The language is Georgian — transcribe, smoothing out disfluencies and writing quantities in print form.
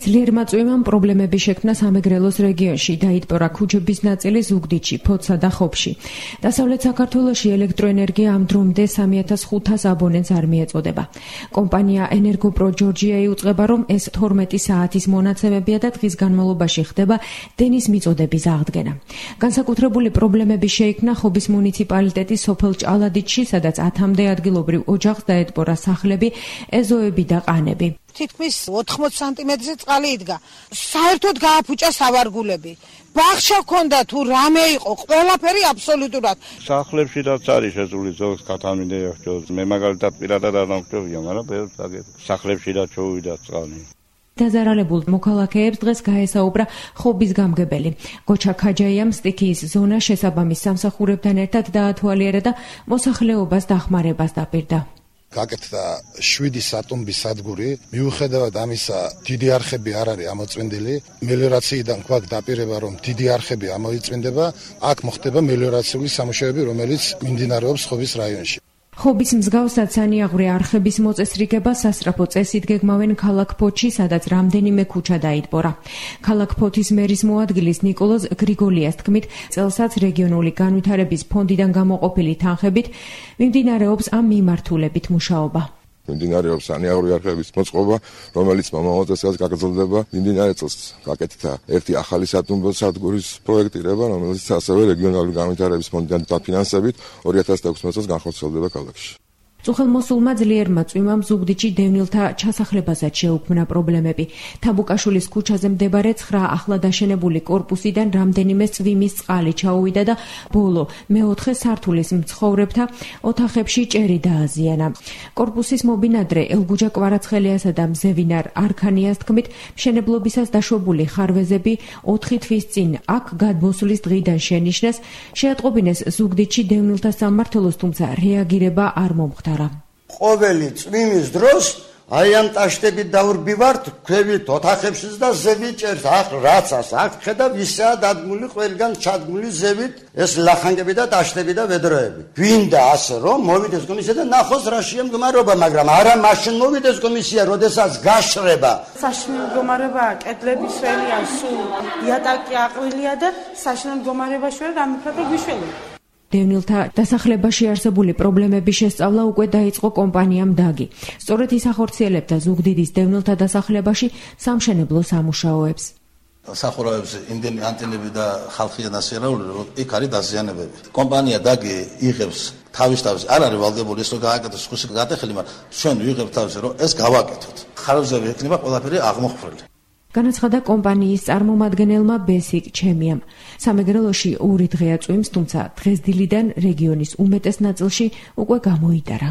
ძლიერმა წვიმამ პრობლემები შექმნა სამეგრელოს რეგიონში, დაიტბორა ქუჩების ნაწილი ზუგდიდში, ფოცსა და ხობში. დასავლეთ საქართველოში ელექტროენერგია ამ დრომდე 3500 აბონენტს არ მიეწოდება. კომპანია ენერგოპრო ჯორჯია იუწყება, რომ ეს 12 საათის მონაცემებია და დღის განმავლობაში ხდება დენის მიწოდების აღდგენა. განსაკუთრებული პრობლემები შეიქმნა ხობის მუნიციპალიტეტის სოფელ ჭალადიდში, სადაც 10-მდე ადგილობრივ ოჯახს დაეტბორა სახლები, ეზოები და ყანები. თითქმის 80 სანტიმეტრზე წყალი იდგა. საერთოდ გააფუჭა სავარგულები. ბაღშა ჰქონდა თუ რამე იყო, ყველაფერი აბსოლუტურად. სახლებში რაც არის შესული ზოგს კატამინდეა ხო. მე მაგალითად პირადად არ მომხდია, მაგრამ სახლებში რაც ჩოვიდა წყალი. დაზარალებულ მოქალაქეებს დღეს გაესაუბრა ხობის გამგებელი. გოჩა ქაჯაიამ სტიქიის ზონა შესაბამის სამსახურებთან ერთად დაათვალიერა და მოსახლეობას დახმარებას დაპირდა. გაკეთდა 7 სატომბის სადგური, მიუხედავად ამისა, დიდი არხები არ არის ამოწმინდილი. მელიორაციიდან გვაქვს დაპირება, რომ დიდი არხები ამოიწმინდება, აქ მოხდება მელიორაციული სამუშაოები, რომელიც მიმდინარეობს ხობის რაიონში. ხობის მსგავსად სანიაღვრე არხების მოწესრიგება სასწრაფო წესით გეგმავენ ქალაქ ფოთში, სადაც რამდენიმე ქუჩა დაიტბორა. ქალაქ ფოთის მერის მოადგილის ნიკოლოზ გრიგოლიას თქმით, წელსაც რეგიონული განვითარების ფონდიდან გამოყოფილი თანხებით მიმდინარეობს ამ მიმართულებით მუშაობა. მიმდინარეობს სანიაღვრე არხების მოწყობა, რომელიც მომავალ წელს გაგრძელდება. მიმდინარე წელს გაკეთდა ერთი ახალი სატუმბო სადგურის პროექტირება, რომელიც ასევე რეგიონალური განვითარების ფონდიდან დაფინანსებით 2016 წელს განხორციელდება ქალაქში. წუხელმოსულმა ძლიერმა წვიმამ ზუგდიდში დევნილთა ჩასახლებასაც შეუქმნა პრობლემები. თაბუკაშვილის ქუჩაზე მდებარე 9 ახლად აშენებული კორპუსიდან რამდენიმე წვიმის წყალი ჩაუვიდა და ბოლო მეოთხე სართულის მცხოვრებთა ოთახებში ჭერი დააზიანა. კორპუსის მობინადრე ელგუჯა კვარაცხელიასა და მზევინარ არქანიას თქმით, მშენებლობისას დაშვებული ხარვეზები 4 თვის წინ აქ გადმოსვლის დღიდან შენიშნეს, შეატყობინეს ზუგდიდში დევნილთა სამმართველოს, თუმცა რეაგირება არ მომხდარა. ყოველი წვიმის დროს აი ამ ტაშტებით დაურბივართ, ქვევით ოთახებშიც და ზევით ჭერს. ახ რაცას აქ ხედა ვისაა დადგმული ყველგან ჩადგმული ზევით ეს ლახანგები და ტაშტები და ვედროები. გვინდა ასე რომ მოვიდეს კომისია და ნახოს რა შემდგომარეობა, მაგრამ არა მაშინ მოვიდეს კომისია, როდესაც გაშრება. საშინელ მდგომარეობაა, კედლები სველია, სულ იატაკი აყრილია და საშინელ მდგომარეობაში ვარ გამიფრატე გვიშველი. დევნილთა დასახლებაში არსებული პრობლემების შესწავლა უკვე დაიწყო კომპანიამ დაგი. სწორედ ის ახორციელებდა ზუგდიდის დევნილთა დასახლებაში სამშენებლო სამუშაოებს. სახურავებს იმდენი ანტენები და ხალხიან ასიარული, რომ იქ არის დაზიანებები. კომპანია დაგი იღებს თავის არ არის ვალდებული ეს რომ გააკეთოს ხუსი გადახელი, მაგრამ ჩვენ ვიღებთ თავის რომ ეს გავაკეთოთ. ხარვეზები ექნება ყველაფერი აღმოხვრილი. განაცხადა კომპანიის წარმომადგენელმა ბესიკ ჩემიამ. სამეგრელოში 2 დღეა წვიმს, თუმცა დღესდილიდან რეგიონის უმეტეს ნაწილში უკვე გამოიტარა.